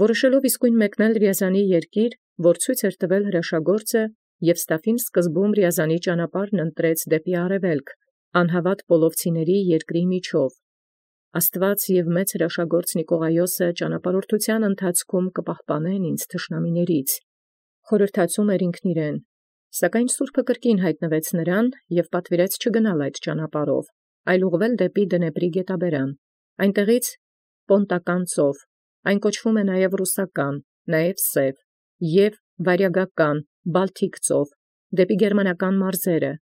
որոշելով իսկույն մեկնել Ռիազանի երկիր, որ ցույց տվել հրաշագործը, և Ստաֆին սկզբում Ռիազանի ճանապարհն ընտրեց դեպի արևելք, անհաւատ պոլովցիների երկրի միջով։ Աստուած և մեծ հրաշագործ Նիկողայոսը ճանապարհորդութեան ընթացքում կպահպանեն ինձ թշնամիներից, խորհրդացում ինքն իրեն, սակայն Սուրբը կրկին յայտնվեց նրան և պատվիրեց չգնալ այդ ճանապարհով, այլ ուղղվել դեպի Դնեպրի գետաբերան, այնտեղից Պոնտական ծով, այն կոչվում է նաև Ռուսական, նաև Սև, և Վարյագական, Բալթիկ ծով, դեպի գերմանական մարզերը,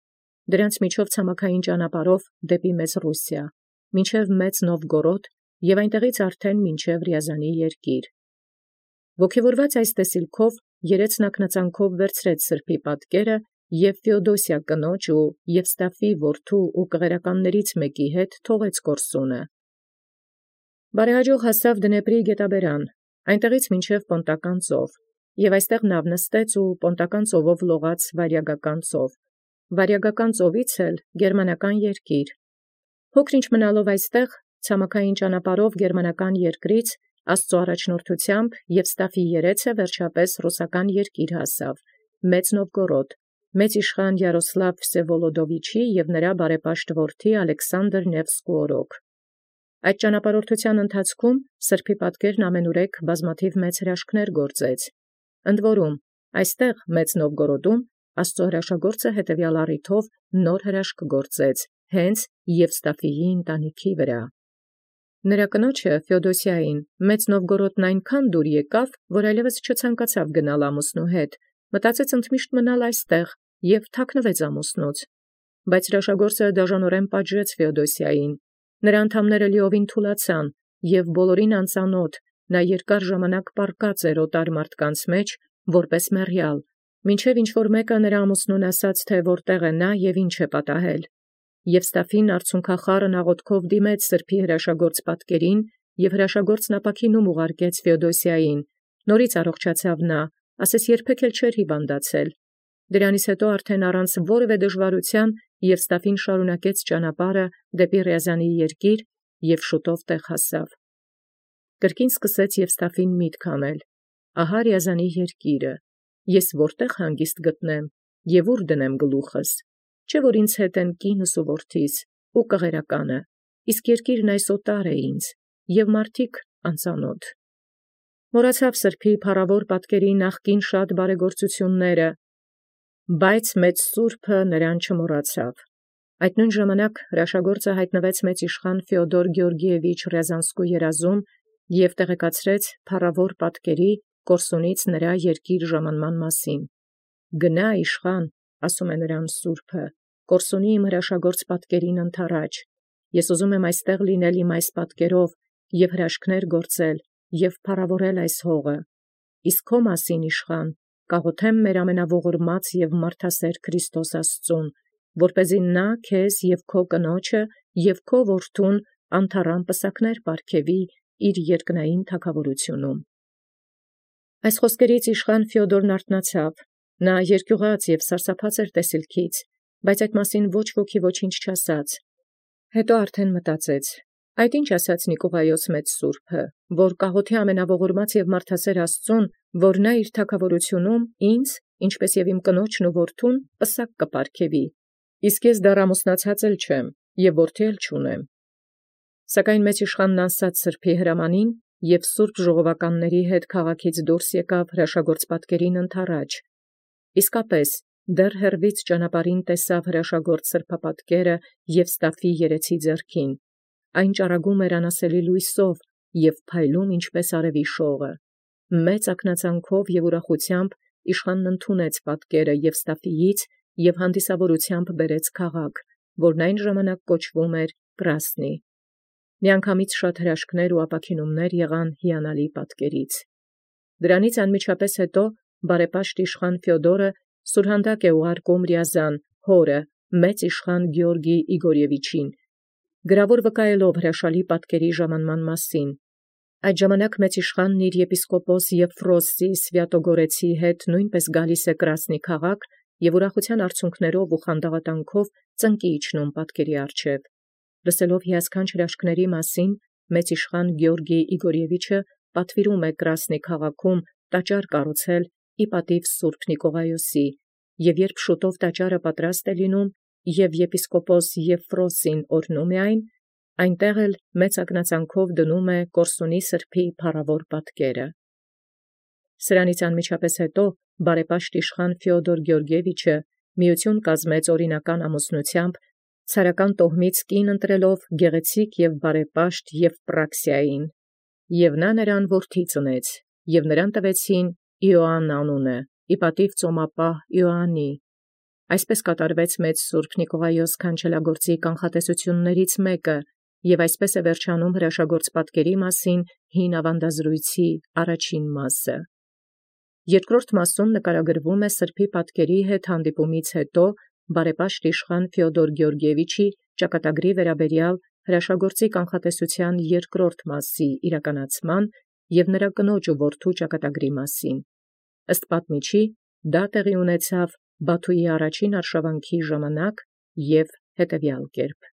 դրանց միջով ցամաքային ճանապարհով դեպի Մեծ Ռուսիա, մինչև Մեծ Նովգորոդ և այնտեղից արդեն մինչև Ռիազանի երկիր։ Ոգևորված այս տեսիլքով երեց նակնածանքով վերցրեց սրբոյ պատկերը և Ֆեոդոսիա կնոջ ու Եվստաֆի որդու ու կղերականներից մեկի հետ թողեց կորսունը։ Բարեհաջող հասավ Դնեպրի գետաբերան, այնտեղից մինչև Պոնտական ծով, և այստեղ նավ նստեց ու Պոնտական ծովով լողաց Վարյագական ծով, Վարյագական ծովից էլ գերմանական երկիր։ Փոքր ինչ մնալով այստեղ, ցամաքային ճանապարհով գերմանական երկրից Աստուծոյ առաջնորդութեամբ Եվստաֆի երեցը վերջապես ռուսական երկիր հասավ, Մեծ Նովգորոդ, մեծ իշխան Յարոսլավ Վսևոլոդովիչի և նրա բարեպաշտ որդի Ալեքսանդր Նևսկու օրոք։ Այդ ճանապարհորդութեան ընթացքում սրբոյ պատկերն ամենուրեք բազմաթիւ մեծ հրաշքներ գործեց։ Ընդ որում, այստեղ Մեծ Նովգորոդում Աստուծոյ հրաշագործը հետևյալ առիթով նոր հրաշք գործեց, հենց Եվստաֆիի ընտանիքի վրա։ Նրա կնոջը Ֆեոդոսիային Մեծ Նովգորոդն այնքան դուր եկավ, որ այլևս չցանկացավ գնալ ամուսնու հետ, մտածեց ընդմիշտ մնալ այստեղ և թաքնվեց ամուսնուց։ Բայց հրաշագործը դաժանորեն պատժեց Ֆեոդոսիային, նրա անդամները լիովին թուլացան, և բոլորին անծանոթ, նա երկար ժամանակ պառկած էր օտար մարդկանց մեջ, որպես մեռյալ, մինչև ինչ-որ մեկը նրա ամուսնուն ասաց, թե որտեղ է նա և ինչ է պատահել։ Եվստաֆին արցունքախառն աղոթքով դիմեց սրբոյ հրաշագործ պատկերին, և հրաշագործն ապաքինում ուղարկեց Ֆեոդոսիային, նորից առողջացավ նա, ասես երբեք էլ չէր հիվանդացել։ Դրանից հետո արդեն առանց որևէ դժվարութեան Եվստաֆին շարունակեց ճանապարհը դեպի Ռիազանի երկիր և շուտով տեղ հասավ։ Կրկին սկսեց Եվստաֆին միտք անել. ահա Ռիազանի երկիրը, ես որտեղ հանգիստ գտնեմ և ուր դնեմ գլուխս, չէ՞ որ ինձ հետ են կինս ու որդիս ու կղերականը, իսկ երկիրն այս օտար է ինձ, և մարդիկ անծանոթ։ Մոռացավ սրբոյ փառավոր պատկերի նախկին շատ բարեգործությունները, բայց մեծ Սուրբը նրան չմոռացավ։ Այդ նույն ժամանակ հրաշագործը յայտնվեց մեծ իշխան Ֆեոդոր Գեորգիևիչ Ռյազանսկու երազում և տեղեկացրեց փառավոր պատկերի կորսունից նրա երկիր ժամանման մասին։ «Գնա, իշխան, ասում է նրան Սուրբը, կորսունի իմ հրաշագործ պատկերին ընդառաջ. ես ուզում եմ այստեղ լինել իմ այս պատկերով և հրաշքներ գործել և փառավորել այս հողը։ Իսկ քո մասին, իշխան, կաղոթեմ մեր ամենաողորմած և մարդասեր Քրիստոս Աստծուն, որպեսզի նա քեզ և քո կնոջը և քո որդուն անթառամ պսակներ պարգևի իր երկնային թագաւորութիւնում»։ Այս խոսքերից իշխան Ֆեոդորն արթնացավ, նա երկյուղած և սարսափած էր տեսիլքից, բայց այդ մասին ոչ ոքի ոչինչ չասաց։ Հետո արդեն մտածեց. այդ ինչ ասաց Նիկողայոս մեծ Սուրբը, որ կաղոթի ամենաողորմած և մարդասեր Աստծուն, որ նա իր թագաւորութիւնում ինձ, ինչպէս և իմ կնոջն ու որդուն, պսակ կպարգևի, իսկ ես դեռ ամուսնացած էլ չեմ և որդի էլ չունեմ։ Սակայն մեծ իշխանն անսաց սրբոյ հրամանին և սուրբ ժողովականացն հետ քաղաքից դուրս եկավ հրաշագործ պատկերին ընդառաջ։ Իսկապես դեռ հեռվից ճանապարհին տեսավ հրաշագործ սրբապատկերը Եվստաֆի երեցի ձեռքին, այն ճառագում էր անասելի լույսով և փայլում ինչպես արևի շողը։ Մեծ ակնածանքով և ուրախութեամբ իշխանն ընդունեց պատկերը Եվստաֆիից և հանդիսավորութեամբ բերեց քաղաք, որն այն ժամանակ կոչվում էր Կրասնի։ Միանգամից շատ հրաշքներ ու ապաքինումներ եղան հիանալի պատկերից։ Դրանից անմիջապես հետո բարեպաշտ իշխան Ֆեոդորը սուրհանդակ է ուղարկում Ռիազան հորը մեծ իշխան Գեորգի Իգորևիչին, գրավոր վկայելով հրաշալի պատկերի ժամանման մասին։ Այդ ժամանակ մեծ իշխանն իր եպիսկոպոս Եփրոսի Սվյատոգորեցի հետ նույնպես գալիս է Կրասնի քաղաք և ուրախութեան արցունքներով ու խանդավատանքով ծնկի իջնում պատկերի առջև։ Լսելով հիասքանչ հրաշքների մասին, մեծ իշխան Գեորգի Իգորևիչը պատվիրում է Կրասնի քաղաքում տաճար կառուցել ի պատիւ Սուրբ Նիկողայոսի, եւ երբ շուտով տաճարը պատրաստ է լինում, եւ եպիսկոպոս Եփրոսին օրհնում է այն, այնտեղ էլ մեծ ակնածանքով դնում է Կորսունի սրբոյ փառաւոր պատկերը։ Սրանից անմիջապես հետո բարեպաշտ իշխան Ֆեոդոր Գեորգիեվիչը միություն կազմեց օրինական ամուսնութեամբ, ցարական տոհմից կին ընտրելով գեղեցիկ եւ բարեպաշտ Եվպրաքսիային, եւ նա նրան որդի ծնեց, եւ նրան տվեցին Իոանն անունը, ի պատիւ ծոմապահ Իոաննի։ Այսպես կատարվեց մեծ Սուրբ Նիկողայոս քանչելագործի կանխատեսություններից մեկը, եւ այսպես է վերջանում հրաշագործ պատկերի մասին հին ավանդազրույցի առաջին մասը։ Երկրորդ մասում նկարագրվում է սրբի պատկերի հետ հանդիպումից հետո բարեպաշտ իշխան Ֆեոդոր Գեորգիեվիչի ճակատագրի վերաբերյալ հրաշագործի կանխատեսության երկրորդ մասի իրականացման եւ նրա կնոջ ու որդու ճակատագրի մասին։ Ըստ պատմիչի, դա տեղի ունեցավ Բաթուի առաջին արշավանքի ժամանակ եւ հետեւյալ կերպ։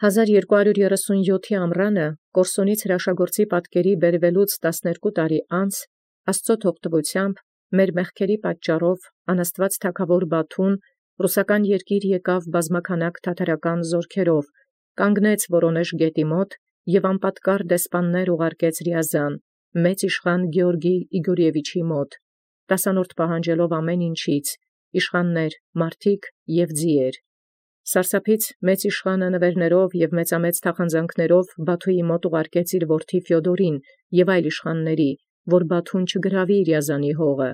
1237 ամռանը Կորսունից հրաշագործի պատկերի բերվելուց 12 տարի անց Աստծո թողտվությամբ մեր մեղքերի պատճառով անաստված թագավոր Բաթուն ռուսական երկիր եկավ բազմաքանակ թաթարական զորքերով, կանգնեց Վորոնեժ գետի մոտ եւ անպատկար դեսպաններ ուղարկեց Ռիազան, մեծ իշխան Գեորգի Իգորիևիչի մոտ, տասանորդ պահանջելով ամեն ինչից, իշխաններ, մարդիկ եւ ձիեր։ Սարսափից մեծ իշխանը նվերներով եւ մեծամեծ թախանձանքներով Բաթուի մոտ ուղարկեց իր որդի Ֆեոդորին եւ այլ իշխանների, որ Բաթուն չգրավի Ռիազանի հողը։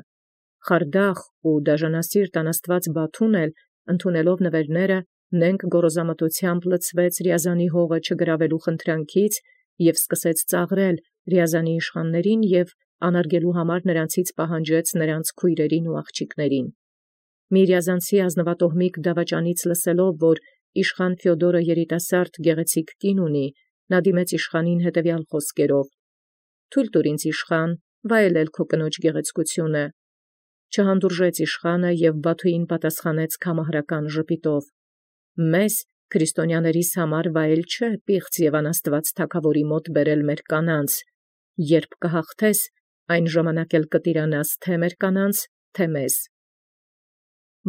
Խարդախ ու դաժանասիրտ անաստված Բաթուն էլ, ընդունելով նվերները, նենք գոռոզամտությամբ լցվեց Ռիազանի հողը չգրավելու խնդրանքից եւ սկսեց ծաղրել Ռիազանի իշխաններին եւ անարգելու համար նրանցից պահանջեց նրանց քույրերին ու աղջիկներին։ Մի Ռիազանցի ազնվատոհմիկ դավաճանից լսելով, որ իշխան Ֆեոդորը երիտասարդ գեղեցիկ կին ունի, նա դիմեց իշխանին հետևյալ խոսքերով. «Թույլ տուր ինձ իշխան, վայելել քո կնոջ գեղեցկությունը»։ Չհանդուրժեց իշխանը եւ Բաթուին պատասխանեց քամահարական ժպիտով. «Մեզ քրիստոնյաներիս համար վայել չէ պիղծ եւ անաստված թագավորի մոտ բերել մեր կանանց. երբ կհաղթես, այն ժամանակ էլ կտիրանաս թե մեր կանանց, թե մեզ»։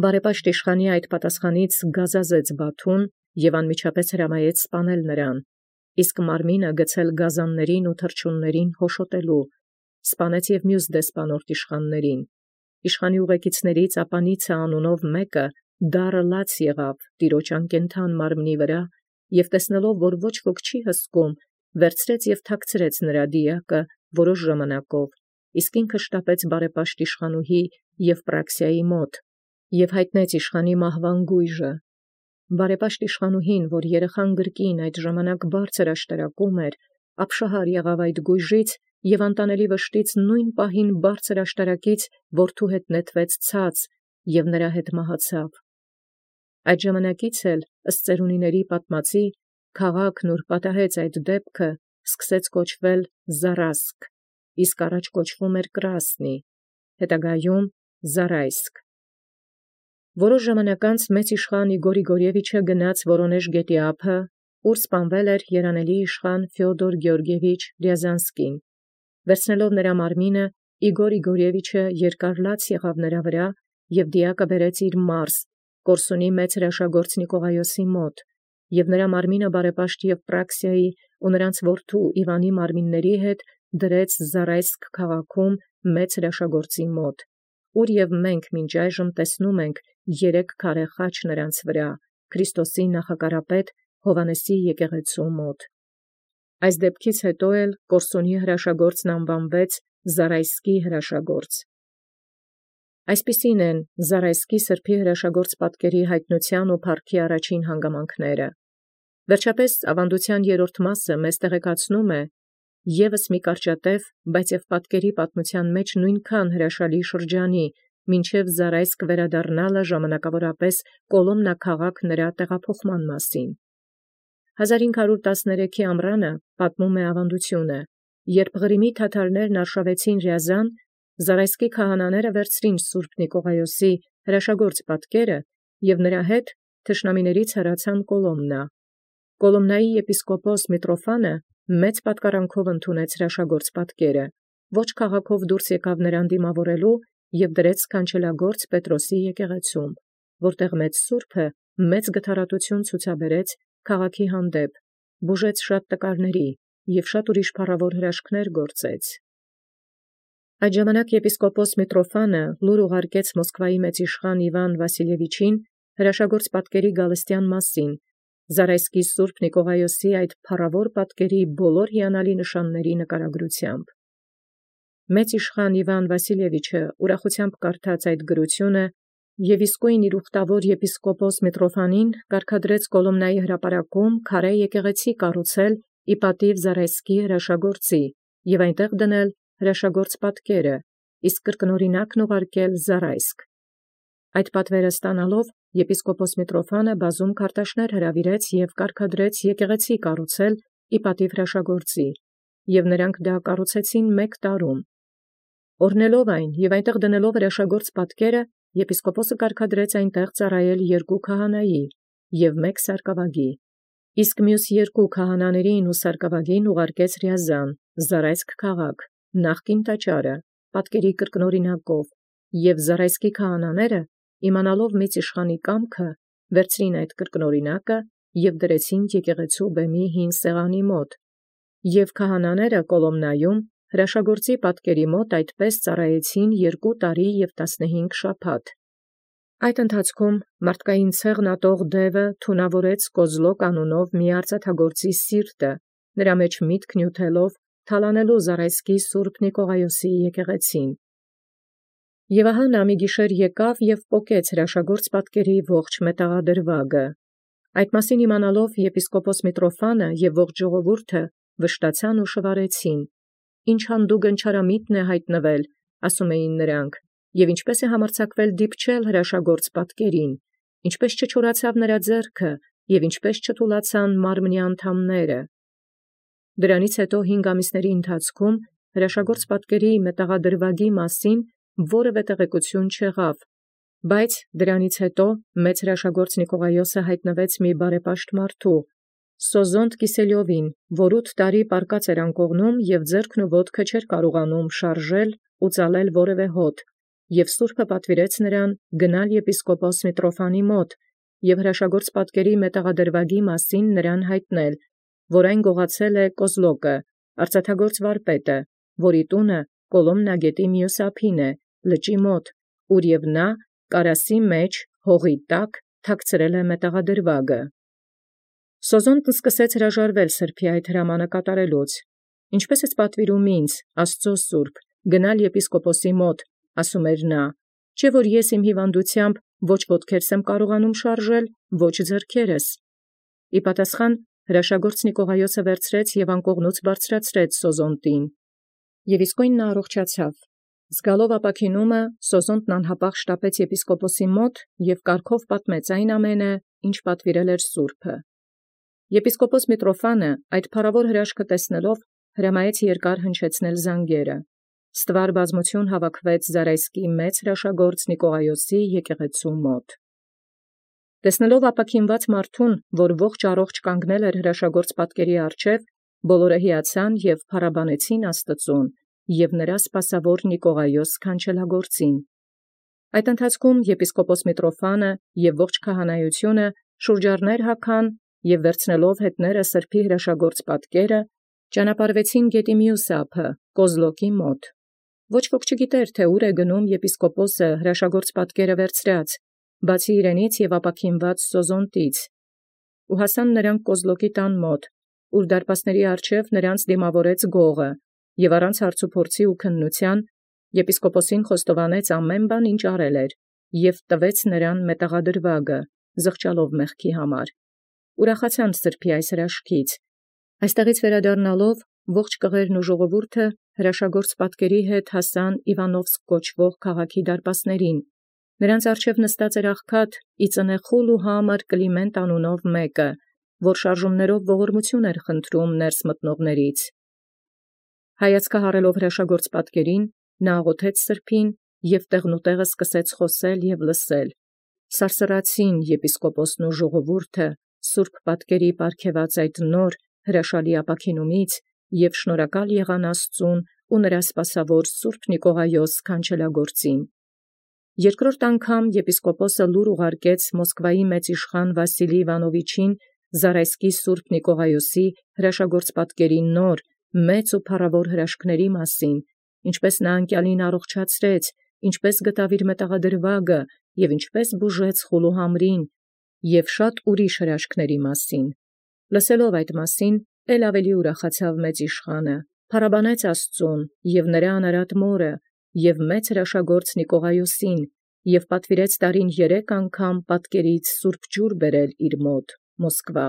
Բարեպաշտ իշխանի այդ պատասխանից գազազեց Բաթուն եւ անմիջապես հրամայեց սպանել նրան, իսկ մարմինը գցել գազաններին ու թռչուններին հոշոտելու, սպանեց եւ մյուս դեսպանորդ իշխաններին։ Իշխանի ուղեկիցներից Ապանիցը անունով մեկը դառը լաց եղավ տիրոջ անկենթան մարմնի վրա եւ տեսնելով, որ ոչ ոք չի հսկում, վերցրեց եւ թաքցրեց նրա դիակը որոշ ժամանակով, իսկ ինքը շտապեց բարեպաշտ իշխանուհի Եվպրաքսիայի մոտ եւ հայտնեց իշխանի մահվան գույժը։ Բարեպաշտ իշխանուհին, որ երեխան գրկին այդ ժամանակ բարձր աշտարակում էր, ապշահար եղավ այդ գույժից եւ անտանելի վշտից նույն պահին բարձր աշտարակից որդու հետ նետվեց ցած եւ նրա հետ մահացավ։ Այդ ժամանակից էլ ըստ ծերունիների պատմածի քաղաքն ուր պատահեց այդ դեպքը սկսեց կոչվել Զարասկ, իսկ առաջ կոչվում էր Կրասնի, հետագայում Զարայսկ։ Որոշ ժամանակ անց մեծ իշխան Իգոր Իգորիևիչը գնաց Վորոնեժ գետի ափը, ուր սպանվել էր երանելի իշխան Ֆեոդոր Գեորգիևիչ Ռիազանսկին։ Վերցնելով նրա մարմինը, Իգոր Իգորիևիչը երկար լաց եղավ նրա վրա եւ դիակը բերեց իր մարզ, Կորսունի մեծ հրաշագործ Նիկողայոսի մոտ, եւ նրա մարմինը բարեպաշտ Եվպրաքսիայի ու նրանց որդու Իվանի մարմինների հետ դրեց Զարայսկ քաղաքում մեծ հրաշագործի մոտ, ուր եւ մենք մինչ այժմ տեսնում ենք 3 քարե խաչ նրանց վրա, Քրիստոսի նախակարապետ Հովանեսի եկեղեցու մոտ։ Այս դեպքից հետո էլ Կորսունի հրաշագործն անվանվեց Զարայսկի հրաշագործ։ Այսպիսին են Զարայսկի սրբի հրաշագործ պատկերի հայտնության ու փառքի առաջին հանգամանքները։ Վերջապես ավանդության երրորդ մասը մեզ տեղեկացնում է եւս մի կարճատև, բայց եւ պատկերի պատմության մեջ նույնքան հրաշալի շրջանի, մինչև Զարայսկ վերադառնալը ժամանակավորապես Կոլոմնա քաղաք նրա տեղափոխման մասին։ 1513 ամռանը պատմում է ավանդությունը, երբ Ղրիմի թաթարներն արշավեցին Ռիազան, Զարայսկի քահանաները վերցրին Սուրբ Նիկողայոսի հրաշագործ պատկերը եւ նրա հետ թշնամիներից հեռացան Կոլոմնա։ Կոլոմնայի եպիսկոպոս Միտրոֆանը մեծ պատկարանքով ընդունեց հրաշագործ պատկերը, ոչ քաղաքով դուրս եկավ նրան դիմավորելու և դրեց սքանչելագործ Պետրոսի եկեղեցում, որտեղ մեծ սուրբը մեծ գթառատություն ցուցաբերեց քաղաքի հանդեպ, բուժեց շատ տկարների և շատ ուրիշ փառավոր հրաշքներ գործեց։ Այդ ժամանակ եպիսկոպոս Միտրոֆանը լուր ուղարկեց Մոսկվայի մեծ իշխան Իվան Վասիլևիչին հրաշագործ պատկերի գալստյան մասին, Զարայսկի Սուրբ Նիկողայոսի այդ փառավոր պատկերի բոլոր հիանալի նշանների նկարագրությամբ։ Մեծ իշխան Իվան Վասիլևիչը ուրախությամբ կարդաց այդ գրությունը և իսկույն իր ուխտավոր եպիսկոպոս Միտրոֆանին կարգադրեց Կոլոմնայի հրապարակում քարե եկեղեցի կառուցել ի պատիվ Զարայսկի հրաշագործի և այնտեղ դնել հրաշագործ պատկերը, իսկ կրկնօրինակն ուղարկել Զարայսկ։ Այդ պատվերը ստանալով եպիսկոպոս Միտրոֆանը բազում քարտաշներ հրավիրեց և կարգադրեց եկեղեցի կառուցել ի պատիվ հրաշագործի, և նրանք դա կառուցեցին 1 տարում։ Օրհնելով այն և այնտեղ դնելով հրաշագործ պատկերը, եպիսկոպոսը կարգադրեց այնտեղ ծառայել 2 քահանայի և 1 սարկավագի, իսկ մյուս 2 քահանաներին ու սարկավագին ուղարկեց Ռիազան, Զարայսկ քաղաք, նախկին տաճարը, պատկերի կրկնօրինակով, և Զարայսկի քահանաները, իմանալով մեծ իշխանի կամքը, վերցրին այդ կրկնօրինակը և դրեցին եկեղեցու բեմի հին սեղանի մոտ, և քահանաները Կոլոմնայում հրաշագործի պատկերի մոտ այդպես ծառայեցին 2 տարի և 15 շաբաթ։ Այդ ընթացքում մարդկային ցեղն ատող դևը թունավորեց Կոզլոկ անունով մի արծաթագործի սիրտը, նրա մեջ միտք նյութելով թալանելու Զարայսկի Սուրբ Նիկողայոսի եկեղեցին։ Եւ ահա նա մի գիշեր եկավ և պոկեց հրաշագործ պատկերի ողջ մետաղադրվագը։ Այդ մասին իմանալով եպիսկոպոս Միտրոֆանը և ողջ ժողովուրդը վշտացան ու շվարեցին. «Ինչ հանդուգն չարամիտն է հայտնվել», ասում էին նրանք, «և ինչպես է համարձակվել դիպչել հրաշագործ պատկերին, ինչպես չչորացավ նրա ձեռքը, և ինչպես չթուլացան մարմնի անդամները»։ Դրանից հետո 5 ամիսների ընթացքում հրաշագործ պատկերի մետաղադրվագի մասին որևէ տեղեկություն չեղավ, բայց դրանից հետո մեծ հրաշագործ Նիկողայոսը հայտնվեց մի բարեպաշտ մարդու, Սոզոնտ Կիսելյովին, որ 8 տարի պարկած էր անկողնում և ձեռքն ու ոտքը չէր կարողանում շարժել ու ծալել որևէ հոտ, և սուրբը պատվիրեց նրան գնալ եպիսկոպոս Միտրոֆանի մոտ և հրաշագործ պատկերի մետաղադրվագի մասին նրան հայտնել, որ այն գողացել է Կոզլոկը, արծաթագործ վարպետը, որի տունը Կոլոմնա գետի մյուս ափին է, լճի մոտ, ուր և նա կարասի մեջ հողի տակ թաքցրել է մետաղադրվագը։ Սոզոնտն սկսեց հրաժարվել սրբոյ այդ հրամանը կատարելուց։ «Ինչպես ես պատվիրում ինձ, Աստծո սուրբ, գնալ եպիսկոպոսի մոտ», ասում էր նա, «չէ՞ որ ես իմ հիվանդությամբ ոչ ոտքերս եմ կարողանում շարժել, ոչ ձեռքերս»։ Ի պատասխան հրաշագործ Նիկողայոսը վերցրեց և անկողնուց բարձրացրեց Սոզոնտին։ Եւ իսկույն նա առողջացավ։ Զգալով ապաքինումը, Սոզոնտն անհապաղ շտապեց եպիսկոպոսի մոտ և կարգով պատմեց այն ամենը, ինչ պատվիրել էր սուրբը։ Եպիսկոպոս Միտրոֆանը այդ փառավոր հրաշքը տեսնելով հրամայեց երկար հնչեցնել զանգերը։ Ստվար բազմություն հավաքվեց Զարայսկի մեծ հրաշագործ Նիկողայոսի եկեղեցու մոտ։ Տեսնելով ապաքինված մարդուն, որ ողջ առողջ կանգնել էր հրաշագործ պատկերի առջև, բոլորը հիացան և փառաբանեցին Աստծուն և նրա սպասավոր Նիկողայոս սքանչելագործին։ Այդ ընթացքում եպիսկոպոս Միտրոֆանը և ողջ քահանայությունը շուրջառներ հագան և վերցնելով հետները սրբոյ հրաշագործ պատկերը, ճանապարհվեցին գետի մյուս ափը, Կոզլոկի մոտ։ Ոչ ոք չգիտեր, թե ուր է գնում եպիսկոպոսը հրաշագործ պատկերը վերցրած, բացի իրենից և ապաքինված Սոզոնտից։ Ու հասան նրանք Կոզլոկի տան մոտ, ուր դարպասների առջև նրանց դիմավորեց գողը, և առանց հարցուփորձի ու քննութեան եպիսկոպոսին խոստովանեց ամեն բան, ինչ արել էր, և տվեց նրան մետաղադրվագը, զղջալով մեղքի համար։ Ուրախացան սրբոյ այս հրաշքից։ Այստեղից վերադառնալով ողջ կղերն ու ժողովուրդը հրաշագործ պատկերի հետ հասան Իվանովսկ կոչվող քաղաքի դարպասներին։ Նրանց առջև նստած էր աղքատ իծնեխուլ ու համր Կլիմենտ անունով մեկը, որ շարժումներով ողորմություն էր խնդրում ներս մտնողներից։ Հայացքը հառելով հրաշագործ պատկերին, նա աղոթեց սրբին և տեղնուտեղը սկսեց խոսել և լսել։ Սարսռացին եպիսկոպոսն ու ժողովուրդը սուրբ պատկերի պարգևած այդ նոր հրաշալի ապաքինումից և շնորհակալ եղան Աստուծուն ու նրա սպասավոր Սուրբ Նիկողայոս քանչելագործին։ Երկրորդ անգամ եպիսկոպոսը լուր ուղարկեց Մոսկվայի մեծ իշխան Վասիլի Իվանովիչին Զարայսկի Սուրբ Նիկողայոսի հրաշագործ պատկերի նոր, մեծ ու փառավոր հրաշքների մասին, ինչպէս նա անկեալին առողջացրեց, ինչպէս գտավ իր մետաղադրուագը և ինչպէս բուժեց խուլուհամրին, և շատ ուրիշ հրաշքների մասին։ Լսելով այդ մասին, ել ավելի ուրախացավ մեծ իշխանը, փառաբանեց Աստուծուն և նրա անարատ մորը, և մեծ հրաշագործ Նիկողայոսին, և պատվիրեց տարին 3 անգամ պատկերից սուրբ ջուր բերել իր մոտ Մոսկվա։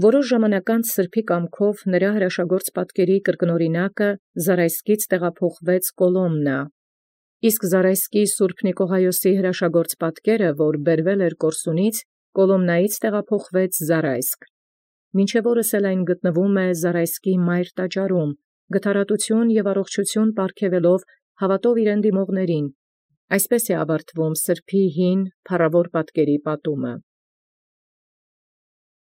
Որոշ ժամանակ անց սրբոյ կամքով նրա հրաշագործ պատկերի կրկնօրինակը Զարայսկից տեղափոխվեց Կոլոմնա, իսկ Զարայսկի Սուրբ Նիկողայոսի հրաշագործ պատկերը, որ բերվել էր Կորսունից, Կոլոմնայից տեղափոխվեց Զարայսկ։ Մինչև օրս էլ այն գտնվում է Զարայսկի մայր տաճարում, գթառատութիւն և առողջութիւն պարգևելով հաւատով իրեն դիմողներին։ Այսպես է ավարտվում սրբոյ հին փառավոր պատկերի պատումը։